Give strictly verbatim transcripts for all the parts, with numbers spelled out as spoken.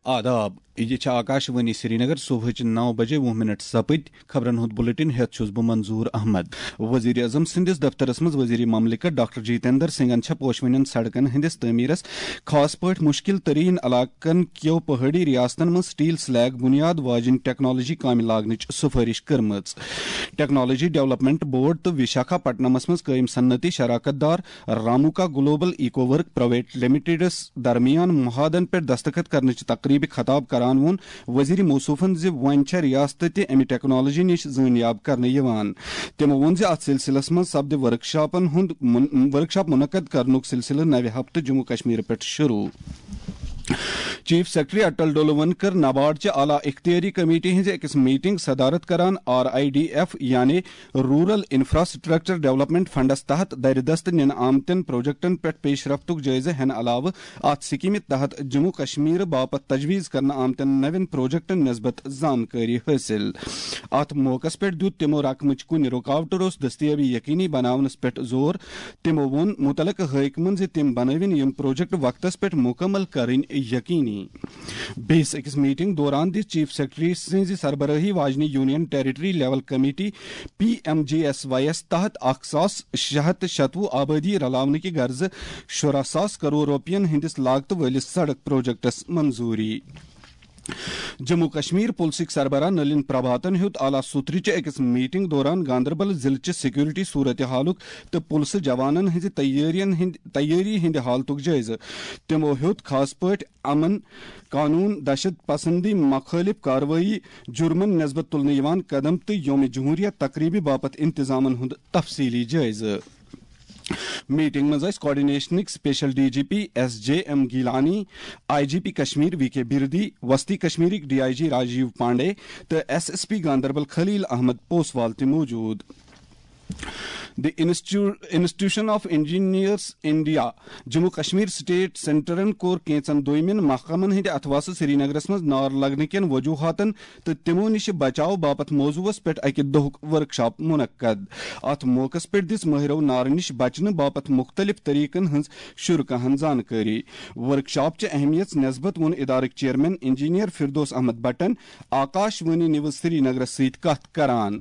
آداب، یہِ چھِ آکاشوانی سرینگر۔ صبحٕچ نو بجے وُہ منٹ سپٕدۍ۔ خبرن ہُنٛد بلیٹن ہٮ۪تھ چھُس بہٕ منظور احمد۔ وزیر اعظم سٕنٛدِس دفترس منٛز وزیر مملکت ڈاکٹر جتیندر سنگھن چھےٚ پوشوٕنٮ۪ن سڑکن ہٕنٛدِس تعمیرس، خاص پٲٹھۍ مشکل ترین علاقن کیو پہٲڑی ریاستن منٛز سٹیل سلیگ بنیاد واجنۍ ٹیکنالوجی کامہِ لاگنٕچ سفٲرش کٔرمٕژ۔ ٹیکنالوجی ڈیولپمنٹ بورڈ تہٕ وشاکھا پٹنمس منٛز قٲیم صنعتی شراکت دار Ramoka global eco work private لمیٹڈس درمیان معاہدن پٮ۪ٹھ دستخط کرنٕچ تقریبہِ خطاب کران ووٚن وزیر موصوفن زِ وۄنۍ چھےٚ ریاست تہِ امہِ ٹیکنالوجی نِش زٲنیاب کرنہٕ یِوان۔ تِمو ووٚن زِ اتھ سلسلس منٛز سپدِ ورکشاپن ہُنٛد من-، ورکشاپ منعقد کرنُک سلسلہٕ نوِ ہفتہٕ جموں کشمیر پٮ۪ٹھ شروع۔ چیف سیکرٹری اٹل ڈولون کٔر نبارڈ چہِ اعلیٰ اختیاری کمیٹی ہٕنٛزِ أکِس میٹنگ صدارت کران۔ آر آئی ڈی ایف یعنی رورل انفراسٹرکچر ڈیولپمنٹ فنڈس تحت درِ دست نِنہٕ آمتٮ۪ن پروجیکٹن پٮ۪ٹھ پیش رفتُک جٲیزٕ ہٮ۪نہٕ علاوٕ اتھ سکیمہِ تحت جموں کشمیر باپتھ تجویز کرنہٕ آمتٮ۪ن نوٮ۪ن پروجیکٹن نسبت زانکٲری حٲصِل۔ اتھ موقعس پٮ۪ٹھ دیُت تِمو رقمٕچ کُنہِ رُکاوٹہٕ روٚس دستیابی یقینی بناونس پٮ۪ٹھ زور۔ تِمو ووٚن متعلقہٕ حٲکمن زِ تِم بنٲوِن یِم پروجیکٹ وقتس پٮ۪ٹھ مکمل کرٕنۍ یقینی۔ بیٚیِس أکِس میٹنگ دوران دِژ چیف سیکرٹری سٕنٛزِ سربرٲہی واجنہِ union territory level committee, P M G S Y یَس تحت اکھ ساس شےٚ ہتھ تہٕ شتوُہ آبٲدی رلاونہٕ کہِ غرضہٕ شُراہ ساس کرور رۄپین ہٕنٛدِس لاگتہٕ وٲلِس سڑک پروجیکٹس منظوری۔ جموں کشمیر پُلسٕکۍ سربراہ نلین پربھاتن ہیوٚت اعلیٰ سوترٕچہِ أکِس میٹنگ دوران گاندربل ضلعہٕ چہِ سیکورٹی صورتحالُک تہٕ پُلسہٕ جوانن ہٕنٛزِ تیٲرین ہٕنٛدِ، تیٲری ہٕنٛدِ حالتُک جٲیزٕ۔ تِمو ہیوٚت خاص پٲٹھۍ امن، قانون، دہشت پسندی مخٲلف کاروٲیی، جرمن نسبت تُلنہٕ یِوان قدم تہٕ یوم جمہوریہ تقریبہِ باپتھ انتظامن ہُنٛد تفصیلی جٲیزٕ۔ میٹنگ منٛز ٲسۍ کوآرڈینیشنٕکۍ special D G P S J M Gilani, I G P Kashmir V K Birdi, وسطی کشمیرٕکۍ D I G Rajiv Pandey تہٕ S S P Ganderbal Khalil Ahmad Poswal تہِ موجود۔ The Institu-, Institution of Engineers India Jammu Kashmir state سینٹرن کوٚر کینژن دویمٮ۪ن محکمن ہٕنٛدِ اتھواسہٕ سرینگرس منٛز نار لگنہٕ کٮ۪ن وجوہاتن تہٕ تِمو نِش بچاو باپتھ موضوعس پٮ۪ٹھ اکہِ دۄہُک ورکشاپ منعقد۔ اتھ موقعس پٮ۪ٹھ دِژ مٲہرو نارٕ نِش بچنہٕ باپتھ مُختٔلِف طریقن ہٕنٛز شرکاہن زانکٲری۔ ورکشاپ چہِ اہمیت نسبت ووٚن ادارٕکۍ چیئرمین انجینئر فردوس احمد بٹن آکاش وانی نیوز سرینگرس سۭتۍ کتھ کران۔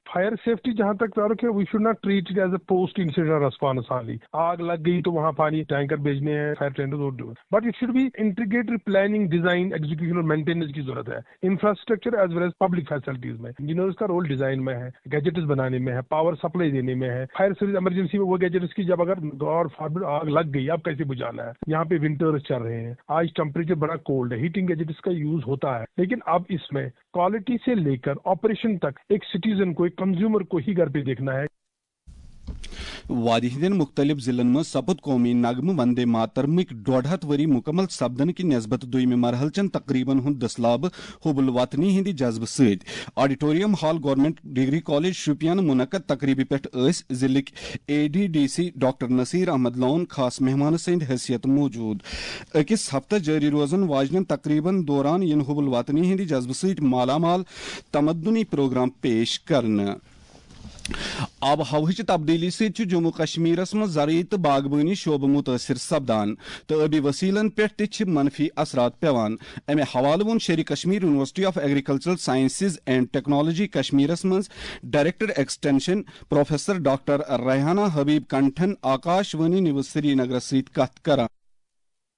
Fire safety جہاں تک تعلق ہے, we should not treat it as a post incident response only. آگ لگ گئی تو وہاں پانی ٹینکر بھیجنے ہیں, فائر ٹینڈر اور, but it should be integrated planning, design, execution اور مینٹیننس کی ضرورت ہے. انفراسٹرکچر ایز ویل ایز پبلک فیسلٹیز میں انجینئرز کا رول ڈیزائن میں ہے, گیجٹس بنانے میں ہے, پاور سپلائی دینے میں ہے, فائر سروس ایمرجنسی میں وہ گیجٹس کی جب اگر گاڈ فاربڈ آگ لگ گئی, اب کیسے بجھانا ہے. یہاں پہ ونٹرز چل رہے ہیں, آج ٹمپریچر بڑا کولڈ ہے, ہیٹنگ گیجٹس کا یوز ہوتا ہے, لیکن اب اس میں کوالٹی سے لے کر آپریشن تک ایک سٹیزن کو, ایک کنزیومر کو ہی گھر پہ دیکھنا ہے. وادی ہٕنٛدٮ۪ن مُختٔلِف ضِلعن منٛز سپُد قومی نغمہٕ وندے ماترمٕکۍ ڈۄڈ ہتھ ؤری مُکمل سپدنہٕ کہِ نسبت دوٚیمہِ مرحلہٕ چٮ۪ن تقریبن ہُنٛد دٔسلابہٕ حب الوطنی ہٕنٛدِ جذبہٕ سۭتۍ۔ Auditorium hall government degree college Shopian منعقد تقریبہِ پٮ۪ٹھ ٲسۍ ضِلعٕکۍ A D D C doctor Naseer Ahmad Lone خاص مہمان سٕنٛدِ حیثیت موجود۔ أکِس ہفتس جٲری روزن واجنٮ۪ن تقریبن دوران یِن حب الوطنی ہٕنٛدِ جذبہٕ سۭتۍ مالا مال تمدنی پروگرام پیش کرنہٕ۔ آب و ہوہٕچ تبدیلی سۭتۍ چھُ جموں کشمیرس منٛز زرعی تہٕ باغبٲنی شعبہٕ مُتٲثِر سپدان تہٕ ٲبی وسیلن پٮ۪ٹھ تہِ چھِ منفی اثرات پٮ۪وان۔ امہِ حوالہٕ ووٚن Sher-e Kashmir university of agricultural sciences and technology کشمیرس منٛز director extension professor doctor Rehana Habib کنٹھن آکاش وانی نیوز سری نگرس سۭتۍ کتھ کران۔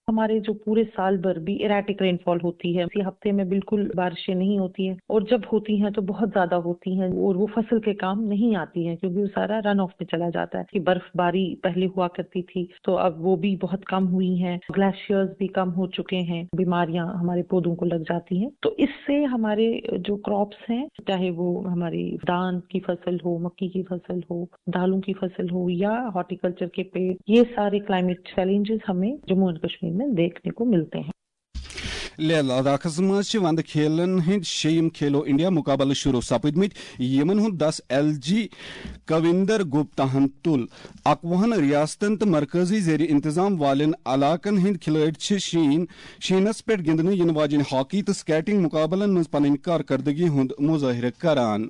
ہمارے جو پورے سال بھر بھی اریٹک رین فال ہوتی ہے، اسی ہفتے میں بالکل بارشیں نہیں ہوتی ہیں، اور جب ہوتی ہیں تو بہت زیادہ ہوتی ہیں اور وہ فصل کے کام نہیں آتی ہیں، کیونکہ وہ سارا رن آف میں چلا جاتا ہے کہ برف باری پہلے ہوا کرتی تھی تو اب وہ بھی بہت کم ہوئی ہیں، گلیشیئرز بھی کم ہو چکے ہیں، بیماریاں ہمارے پودوں کو لگ جاتی ہیں۔ تو اس سے ہمارے جو کراپس ہیں، چاہے وہ ہماری دان کی فصل ہو، مکی کی فصل ہو، دالوں کی فصل ہو یا ہارٹیکلچر کے پیڑ، یہ سارے کلائمیٹ چیلنجز ہمیں جموں اینڈ کشمیر میں دیکھنے کو ملتے ہیں۔ لیہ لداخس منٛز چھِ وندٕ کھیلن ہٕنٛدۍ شیٚیِم کھیلو انڈیا مقابلہٕ شروع سپٕدمٕتۍ، یِمن ہُنٛد دس ایل جی کویندر گپتا ہن تُل۔ اکوُہن ریاستن تہٕ مرکزی زیر انتظام والٮ۪ن علاقن ہٕنٛدۍ کھلٲڑۍ چھِ شیٖن، شیٖنس پٮ۪ٹھ گِنٛدنہٕ یِنہٕ واجٮ۪ن ہاکی تہٕ سکیٹنگ مقابلن منٛز پنٕنۍ کارکردگی ہُنٛد مظٲہرٕ کران۔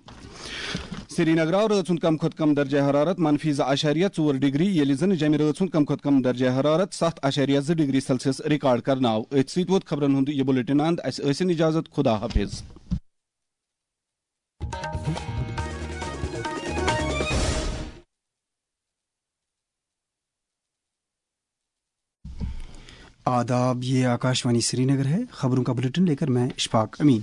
سرینگر آو رٲژ ہُنٛد کم کھۄتہٕ کم درجہ حرارت منفی زٕ اعشاریہ ژور ڈگری، ییٚلہِ زن جمہِ رٲژ ہُنٛد کم کھۄتہٕ کم درجہ حرارت ستھ اعشاریہ زٕ ڈگری سیلسیس ریکارڈ کرنہٕ آو۔ أتھۍ سۭتۍ ووت خبرن ہُنٛد یہِ بلیٹن اند۔ اسہِ ٲسِن اجازت، خدا حافظ۔ آداب، یہ آکاشوانی سری نگر ہے۔ خبروں کا بلیٹن لے کر میں اشفاق امین۔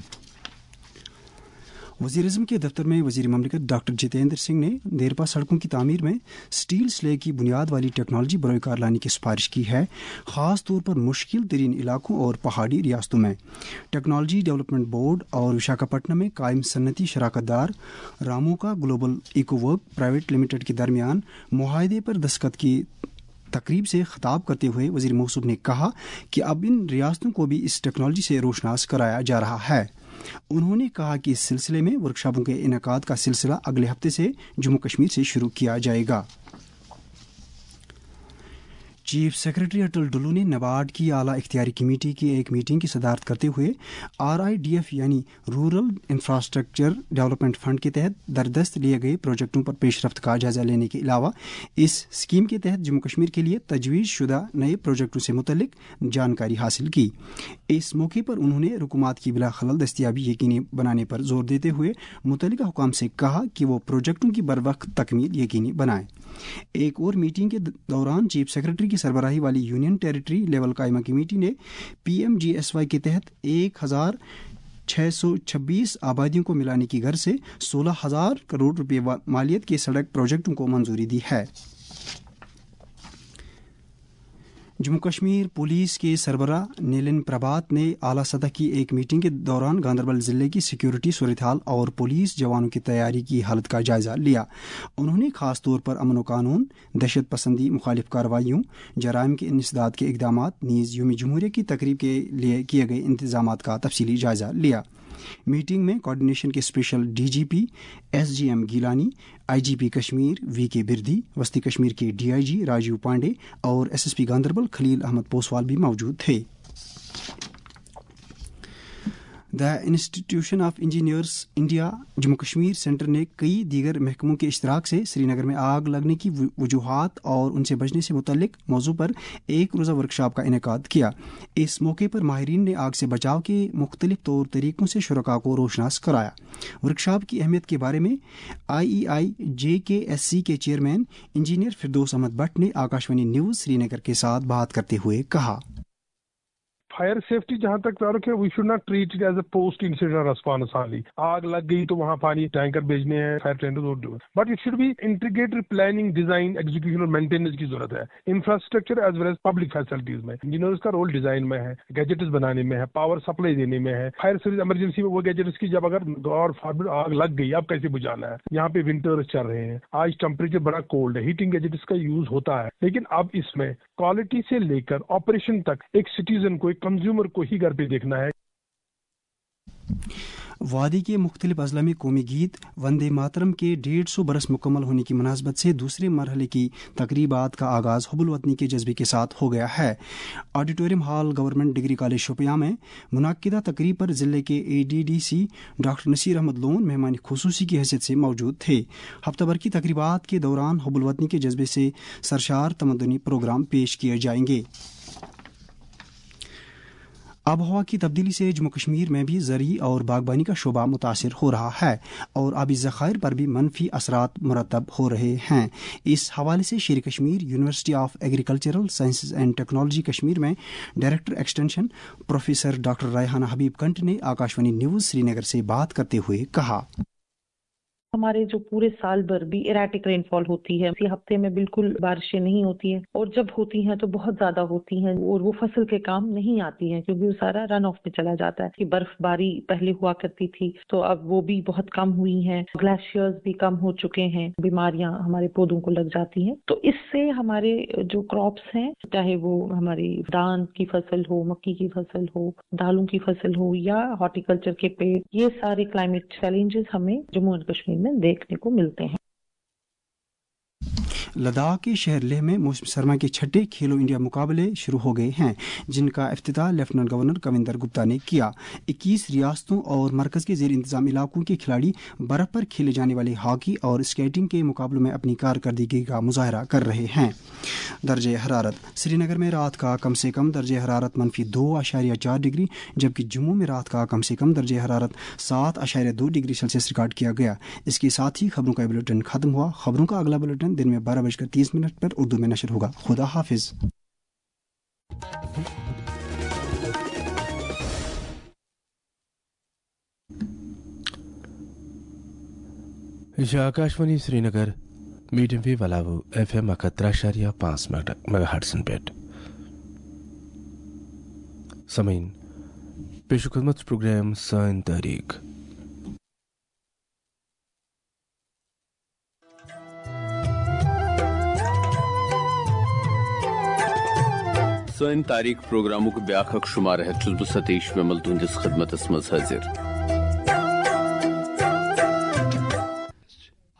وزیر اعظم کے دفتر میں وزیر مملکت ڈاکٹر جتیندر سنگھ نے دیرپا سڑکوں کی تعمیر میں سٹیل سلے کی بنیاد والی ٹیکنالوجی بروئے کار لانے کی سفارش کی ہے، خاص طور پر مشکل ترین علاقوں اور پہاڑی ریاستوں میں۔ ٹیکنالوجی ڈیولپمنٹ بورڈ اور وشاکھاپٹنم میں قائم صنعتی شراکت دار Ramoka global eco work private limited کے درمیان معاہدے پر دستخط کی تقریب سے خطاب کرتے ہوئے وزیر موصوف نے کہا کہ اب ان ریاستوں کو بھی اس ٹیکنالوجی سے روشناس کرایا جا رہا ہے۔ انہوں نے کہا کہ اس سلسلے میں ورکشاپوں کے انعقاد کا سلسلہ اگلے ہفتے سے جموں کشمیر سے شروع کیا جائے گا۔ چیف سیکرٹری اٹل ڈلو نے نبارڈ کی اعلیٰ اختیاری کمیٹی کی ایک میٹنگ کی صدارت کرتے ہوئے آر آئی ڈی ایف یعنی رورل انفراسٹرکچر ڈیولپمنٹ فنڈ کے تحت دردست لیے گئے پروجیکٹوں پر پیش رفت کا جائزہ لینے کے علاوہ اس اسکیم کے تحت جموں کشمیر کے لیے تجویز شدہ نئے پروجیکٹوں سے متعلق جانکاری حاصل کی۔ اس موقع پر انہوں نے رکومات کی بلا خلل دستیابی یقینی بنانے پر زور دیتے ہوئے متعلقہ حکام سے کہا کہ وہ پروجیکٹوں کی بروقت تکمیل یقینی بنائیں۔ ایک اور میٹنگ کے دوران چیف سیکرٹری کی سربراہی والی یونین ٹیریٹری لیول قائمہ کمیٹی نے P M G S Y کے تحت ایک ہزار چھ سو چھبیس آبادیوں کو ملانے کی غرض سے سولہ ہزار کروڑ روپے وا-، مالیت کے سڑک پروجیکٹوں کو منظوری دی ہے۔ جموں کشمیر پولیس کے سربراہ نیلن پربھات نے اعلیٰ سطح کی ایک میٹنگ کے دوران گاندربل ضلع کی سیکیورٹی صورتحال اور پولیس جوانوں کی تیاری کی حالت کا جائزہ لیا۔ انہوں نے خاص طور پر امن و قانون، دہشت پسندی مخالف کارروائیوں، جرائم کے انسداد کے اقدامات نیز یوم جمہوریہ کی تقریب کے لیے کیے گئے انتظامات کا تفصیلی جائزہ لیا۔ میٹنگ میں کوآرڈینیشن کے special D G P S G M Gilani, I G P Kashmir V K Birdi, وسطی کشمیر کے D I G Rajiv Pandey اور S S P Ganderbal Khalil Ahmad Poswal بھی موجود تھے۔ The Institution of Engineers India Jammu Kashmir Centre نے کئی دیگر محکموں کے اشتراک سے سری نگر میں آگ لگنے کی و-، وجوہات اور ان سے بچنے سے متعلق موضوع پر ایک روزہ ورکشاپ کا انعقاد کیا۔ اس موقع پر ماہرین نے آگ سے بچاؤ کے مختلف طور طریقوں سے شرکاء کو روشناس کرایا۔ ورکشاپ کی اہمیت کے بارے میں I E I J K S C کے چیئرمین انجینئر فردوس احمد بٹ نے آکاشوانی نیوز سری نگر کے ساتھ بات کرتے ہوئے کہا۔ فائر سیفٹی جہاں تک تعلق ہے، we should not treat it as a post incident response only. آگ لگ گئی تو وہاں پانی ٹینکر بھیجنے ہیں، فائر ٹینڈر اور do, but it should be integrated planning, design, execution اور مینٹیننس کی ضرورت ہے۔ انفراسٹرکچر ایز ویل ایز پبلک فیسلٹیز میں انجینئرز کا رول ڈیزائن میں ہے، گیجٹس بنانے میں ہے، پاور سپلائی دینے میں ہے، فائر سروس ایمرجنسی میں وہ گیجٹس کی جب اگر گاڈ فاربڈ آگ لگ گئی، اب کیسے بجھانا ہے؟ یہاں پہ ونٹرز چل رہے ہیں، آج ٹمپریچر بڑا کولڈ ہے، ہیٹنگ گیجٹس کا یوز ہوتا ہے، لیکن اب اس میں کوالٹی سے لے کر آپریشن تک ایک سٹیزن کو، ایک کنزیومر کو ہی گھر پہ دیکھنا ہے۔ وادی کے مختلف اضلاع میں قومی گیت وندے ماترم کے ڈیڑھ سو برس مکمل ہونے کی مناسبت سے دوسرے مرحلے کی تقریبات کا آغاز حب الوطنی کے جذبے کے ساتھ ہو گیا ہے۔ Auditorium hall government degree college Shopian میں منعقدہ تقریب پر ضلع کے A D D C doctor Naseer Ahmad Lone مہمان خصوصی کی حیثیت سے موجود تھے۔ ہفتہ بھر کی تقریبات کے دوران حب الوطنی کے جذبے سے سرشار تمدنی پروگرام پیش کیے جائیں گے۔ آب و ہوا کی تبدیلی سے جموں کشمیر میں بھی زرعی اور باغبانی کا شعبہ متاثر ہو رہا ہے اور آبی ذخائر پر بھی منفی اثرات مرتب ہو رہے ہیں۔ اس حوالے سے Sher Kashmir university of agricultural sciences and technology Kashmir میں director extension professor doctor Rehana Habib Kant نے آکاشوانی نیوز سری نگر سے بات کرتے ہوئے کہا۔ ہمارے جو پورے سال بھر بھی اریٹک رین فال ہوتی ہے، اسی ہفتے میں بالکل بارشیں نہیں ہوتی ہیں اور جب ہوتی ہیں تو بہت زیادہ ہوتی ہیں اور وہ فصل کے کام نہیں آتی ہیں کیونکہ وہ سارا رن آف میں چلا جاتا ہے۔ کہ برف باری پہلے ہوا کرتی تھی تو اب وہ بھی بہت کم ہوئی ہیں، گلیشیئرز بھی کم ہو چکے ہیں، بیماریاں ہمارے پودوں کو لگ جاتی ہیں۔ تو اس سے ہمارے جو کراپس ہیں، چاہے وہ ہماری دان کی فصل ہو، مکی کی فصل ہو، دالوں کی فصل ہو یا ہارٹیکلچر کے پیڑ، یہ سارے کلائمیٹ چیلنجز ہمیں جموں اینڈ کشمیر میں دیکھنے کو ملتے ہیں۔ لداخ کے شہر لیہ میں موسم سرما کے چھٹے کھیلو انڈیا مقابلے شروع ہو گئے ہیں، جن کا افتتاح لیفٹیننٹ گورنر کویندر گپتا نے کیا۔ اکیس ریاستوں اور مرکز کے زیر انتظام علاقوں کے کھلاڑی برف پر کھیلے جانے والے ہاکی اور اسکیٹنگ کے مقابلوں میں اپنی کارکردگی کا مظاہرہ کر رہے ہیں۔ درجہ حرارت۔ سری نگر میں رات کا کم سے کم درجہ حرارت منفی دو اعشاریہ چار ڈگری، جبکہ جموں میں رات کا کم سے کم درجہ حرارت سات اعشاریہ دو ڈگری سیلسیس ریکارڈ کیا گیا۔ اس کے ساتھ ہی خبروں کا یہ بلیٹن ختم ہوا۔ خبروں کا اگلا بلیٹن دن میں بارہ بج کر تیس منٹ پر اردو میں نشر ہوگا۔ خدا حافظ۔ یہِ چھِ آکاشوانی سرینگر، میٖڈیم ویو علاوٕ ایف ایم اکھ ہتھ ترٛےٚ اعشاریہ پانٛژھ میگا ہرٹزن پٮ۪ٹھ۔ سامعیٖن، پیش خدمت چھُ پروگرام سٲنۍ تٲریٖخ۔ سٲنۍ تاریخ پروگرامُک بیٛاکھ اکھ شمارٕ ہٮ۪تھ چھُس بہٕ ستیش ومل تُہنٛدِس خدمتس منٛز حٲضِر۔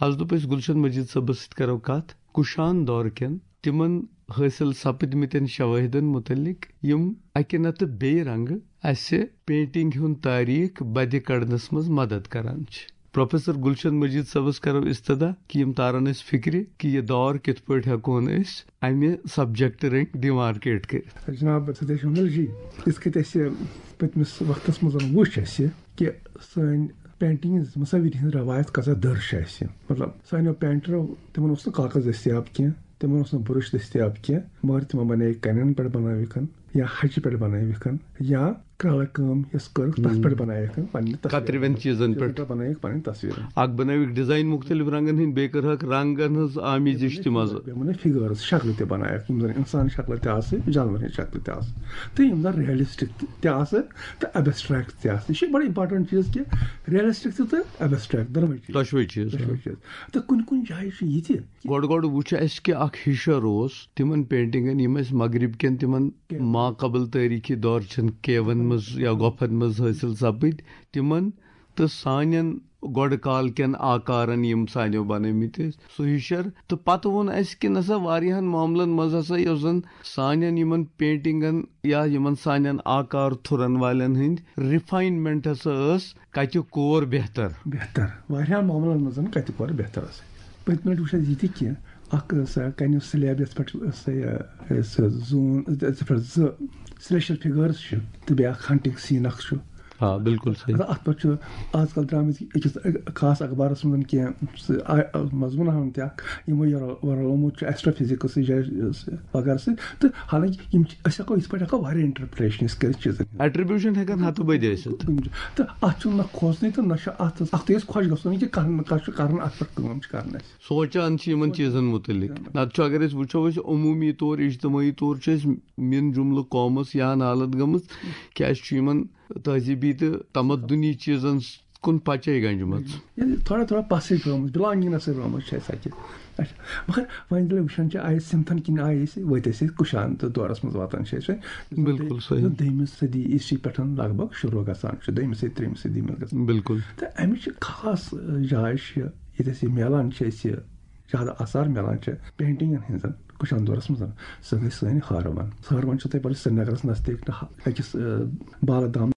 از دوٚپ أسۍ گُلشن مجید صٲبس سۭتۍ کرو کتھ کُشان دور کٮ۪ن تِمن حٲصِل سپٕدمٕتٮ۪ن شوٲہدن مُتعلق، یِم اکہِ نتہٕ بیٚیہِ رنگہٕ اسہِ پینٹنگ ہُنٛد تاریخ بدِ کڑنس منٛز مدد کران چھِ۔ پروفیسر گلشن مجید صٲبس کرو استدعا کہِ یِم تارن اسہِ فکرِ کہِ یہِ دور کِتھ پٲٹھۍ ہٮ۪کون أسۍ امہِ سبجیکٹ رٔنگۍ ڈیمارکیٹ کٔرِتھ۔ جناب ستیش ومل جی، یِتھ کٔنۍ اسہِ پٔتمِس وقتس منٛز وُچھ اسہِ کہِ سٲنۍ پینٹنگ ہٕنٛز، مصوری ہٕنٛز روایت کۭژاہ دٔر چھِ اسہِ۔ مطلب، سانیو پینٹرو، تِمن اوس نہٕ کاغذ دٔستیاب کینٛہہ، تِمن اوس نہٕ برش دٔستیاب کینٛہہ، مگر تِمو بنٲوِکھ کنٮ۪ن پٮ۪ٹھ بنٲوِکھ یا ہچہِ پٮ۪ٹھ بنٲوِکھ یا کرٛالہٕ کٲم یۄس کٔرٕکھ، تتھ پٮ۪ٹھ بنٲوِکھ پننہِ تصویٖرٕ۔ کترِوٮ۪ن چیٖزن پٮ۪ٹھ۔ پٮ۪ٹھ بنٲوِکھ پنٕنۍ تصویٖرٕ۔ اکھ بنٲوِکھ ڈیزاین مُختٔلِف رنگن ہٕنٛدۍ، بیٚیہِ کٔرہکھ رنگن ہٕنٛز آمیزش تہِ منٛزٕ۔ بیٚیہِ بنٲوِکھ فِگٲرٕس، شکلہٕ تہِ بنٲوِکھ، یِم زن انسان شکلہٕ تہِ آسہٕ، جانورن ہٕنٛز شکلہٕ تہِ آسہٕ، تہٕ یِم زن ریلسٹک تہِ آسہٕ تہٕ ابسٹریکٹ تہِ آسہٕ۔ یہِ چھُ بڑٕ امپورٹنٹ چیٖز کہِ ریلسٹک تہِ تہٕ ابسٹریکٹ دۄنوَے چیٖز۔ دۄشوَے چیٖز۔ دۄشوَے چیٖز۔ تہٕ کُنہِ کُنہِ جایہِ چھُ یہِ تہِ۔ گۄڈٕ گۄڈٕ وُچھ اَسہِ کہِ اَکھ ہِشر اوس تِمَن پینٹِنٛگَن، یِم اَسہِ مغرب کٮ۪ن تِمَن کیٛاہ؟ ما قبل تٲریٖخی دورچن کیون منٛز یا گۄپھن منٛز حٲصِل سپٕدۍ، تِمَن تہٕ سانٮ۪ن گۄڈٕ کال کٮ۪ن آکارَن، یِم سانیو بنٲومٕتۍ ٲسۍ، سُہ ہِشر۔ تہٕ پتہٕ ووٚن اَسہِ کہِ نسا واریاہَن معاملَن منٛز ہسا یۄس زَن سانٮ۪ن یِمَن پینٹِنٛگَن یا یِمَن سانٮ۪ن آکار تھُرَن والٮ۪ن ہٕنٛدۍ refinement ہسا ٲس کتہِ کور بہتر؟ بہتر۔ واریاہن معاملن منٛز زن کتہِ کور بہتر ٲس۔ پٔتمہِ لٹہِ وُچھ اَسہِ یہِ تہِ کہِ اکھ ٲس، آ، کنہِ slab یتھ پٮ۪ٹھ ٲس، آ، ٲس زوٗن، یتھ پٮ۪ٹھ زٕ celestial figures چھِ تہٕ بیٛاکھ hunting scene اکھ چھُ۔ آ، بِلکُل صحیح۔ مطلب، اتھ پٮ۪ٹھ چھُ آز کل درٛامٕتۍ أکِس خاص اخبارس منٛز کینٛہہ سُہ، آ، آ، مضموٗن ہن تہِ اکھ، یِمو یہِ رلومُت چھُ ایسٹرو فزکس سۭتۍ، وغیرہ سۭتۍ۔ تہٕ حالانکہ یِم چھِ، أسۍ ہٮ۪کو یِتھ پٲٹھۍ ہٮ۪کو واریاہ انٹرپریٹیشن أسۍ کٔرِتھ چیٖزن ہٕنٛز۔ Attribution ہٮ۪کن ہتہٕ بٔدۍ ٲسِتھ۔ کُنہِ جایہِ۔ تہٕ اتھ چھُنہٕ نہ کھوژنٕے تہٕ نہ چھُ اتھ، اتھ تہِ أسۍ خۄش گژھُن کہِ کانٛہہ نہ کانٛہہ چھُ کران، اتھ پٮ۪ٹھ کٲم چھِ کران اَسہِ۔ سونٛچان چھِ یِمن چیٖزن مُتعلق۔ نتہٕ چھُ، اگر أسۍ وٕچھو، أسۍ عموٗمی طور، اجتمٲعی طور چھِ أسۍ من جملہٕ قومس یا نالت گٔمٕژ کہِ اَسہِ چھُ یِمن تہذیٖبی تہٕ تمدُنی چیٖزن کُن پچے گنجمٕژ۔ ییٚلہِ تھوڑا تھوڑا پسٕے گٔمٕژ، بِلانگنگس سۭتۍ گٔمٕژ چھِ اَسہِ اَتہِ۔ اچھا، مگر وۄنۍ ییٚلہِ وٕچھان چھِ، آیہِ سِمتھن کِنۍ آیہِ أسۍ، وٲتۍ أسۍ أسۍ کُشان تہٕ دورس منٛز واتان چھِ أسۍ وۄنۍ۔ بِلکُل صحیح۔ دوٚیمہِ صدی عیسوی پٮ۪ٹھ لگ بگ شروع گژھان چھُ، دوٚیمہِ صدی، ترٛیٚیِمہِ صدی منٛز گژھان۔ بِلکُل۔ تہٕ اَمِچ چھِ خاص، آ، جاے چھِ، ییٚتہِ اَسہِ یہِ میلان چھِ، اَسہِ یہِ زیادٕ آثار میلان چھِ پینٹنگن ہٕنٛزن کُشان دورس منٛز، سۄ گٔے سٲنۍ ہٲروَن۔ ہٲروَن چھِ تۄہہِ پَتہ سرینگرس نزدیٖک نہ أکِس، آ، بالہٕ دام